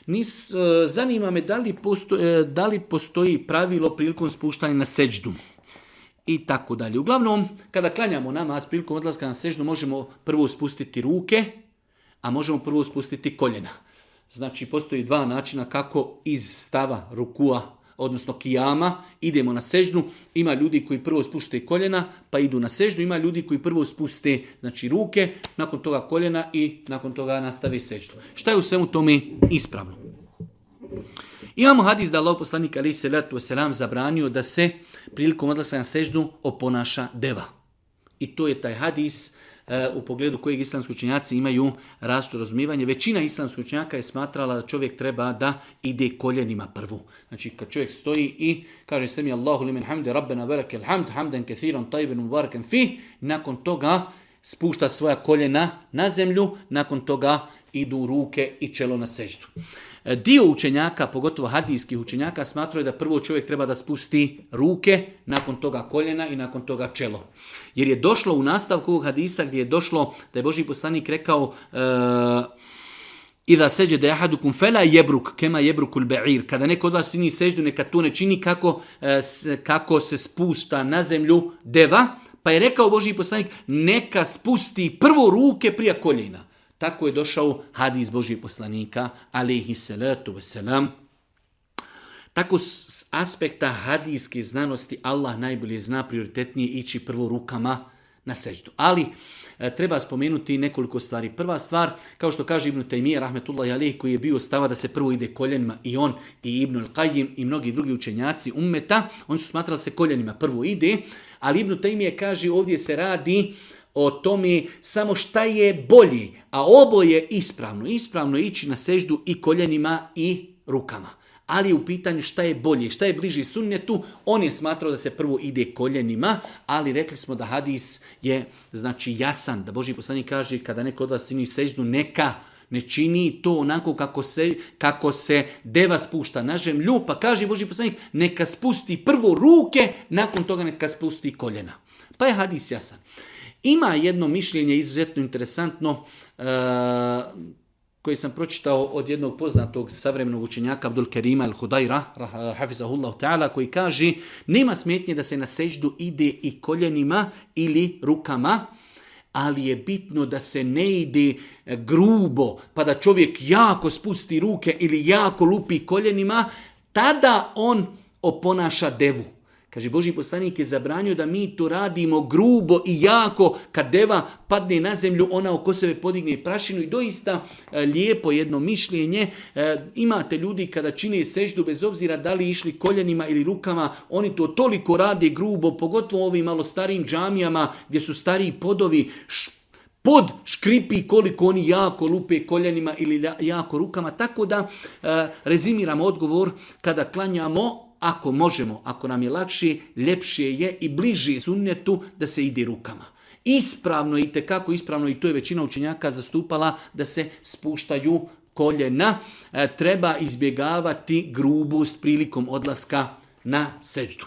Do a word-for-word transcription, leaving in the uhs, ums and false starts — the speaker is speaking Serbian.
Nis, zanima me da li, postoji, da li postoji pravilo prilikom spuštanja na seđdu. I tako dalje. Uglavnom, kada klanjamo namaz prilikom odlaska na seždu, možemo prvo spustiti ruke, a možemo prvo spustiti koljena. Znači, postoji dva načina kako iz stava rukua, odnosno kijama, idemo na seždu. Ima ljudi koji prvo spuste koljena, pa idu na seždu. Ima ljudi koji prvo spuste znači, ruke, nakon toga koljena i nakon toga nastavi seždu. Šta je u svemu tome ispravno? Imamo hadis da Allah poslanik alejhi selatu vesselam zabranio da se prilikom odlaska na seždu oponaša deva. I to je taj hadis uh, u pogledu kojeg islamski učenjaci imaju različito razumijevanje. Većina islamskih učenjaka je smatrala da čovjek treba da ide koljenima prvo. Znači kad čovjek stoji i kaže sami Allahu limen hamde rabbena velekal hamd hamdan kathiran tayyiban mubarakan fih, nakon toga spušta svoja koljena na zemlju, nakon toga idu ruke i čelo na seždu. Dio učenjaka, pogotovo hadijskih učenjaka, smatraju da prvo čovjek treba da spusti ruke, nakon toga koljena i nakon toga čelo. Jer je došlo u nastavku ovog hadisa gdje je došlo da je Božji poslanik rekao Iza seđede ahadukum fela jebruk kema jebrukul ba'ir. Kada neko od vas čini seždu, neka to ne čini kako, kako se spušta na zemlju deva. Pa je rekao Božji poslanik, neka spusti prvo ruke prije koljena. Tako je došao hadis Božjih poslanika, alejhi salatu vesselam. Tako s aspekta hadijske znanosti Allah najbolje zna prioritetnije ići prvo rukama na seždu. Ali e, treba spomenuti nekoliko stvari. Prva stvar, kao što kaže Ibn Taymije, rahmetullahi alejhi, koji je bio stava da se prvo ide koljenima, i on, i Ibn al-Qayyim, i mnogi drugi učenjaci ummeta, oni su smatrali da se koljenima prvo ide, ali Ibn Taymije kaže ovdje se radi o tome samo šta je bolji, a oboje je ispravno. Ispravno je ići na seždu i koljenima i rukama. Ali u pitanju šta je bolje, šta je bliži sunnetu, on je smatrao da se prvo ide koljenima, ali rekli smo da hadis je znači jasan, da Božji poslanik kaže kada neko od vas čini seždu, neka ne čini to onako kako se, kako se deva spušta na zemlju, pa kaže Božji poslanik neka spusti prvo ruke, nakon toga neka spusti koljena. Pa je hadis jasan. Ima jedno mišljenje izuzetno interesantno uh, koje sam pročitao od jednog poznatog savremenog učenjaka Abdul Kerima al-Hudajra, hafizahullahu ta'ala, koji kaže nema smetnje da se na seždu ide i koljenima ili rukama, ali je bitno da se ne ide grubo, pa da čovjek jako spusti ruke ili jako lupi koljenima, tada on oponaša devu. Kaže, Božji poslanik je zabranio da mi to radimo grubo i jako, kad deva padne na zemlju, ona oko sebe podigne prašinu i doista e, lijepo jedno mišljenje. E, imate ljudi kada čine seždu, bez obzira da li išli koljenima ili rukama, oni to toliko rade grubo, pogotovo ovim malo starijim džamijama gdje su stariji podovi, š, pod škripi koliko oni jako lupe koljenima ili jako rukama. Tako da e, rezimiramo odgovor, kada klanjamo, ako možemo, ako nam je lakše, ljepše je i bliže sunnetu da se ide rukama. Ispravno i tekako ispravno, i to je većina učenjaka zastupala, da se spuštaju koljena. E, treba izbjegavati grubost prilikom odlaska na seždu.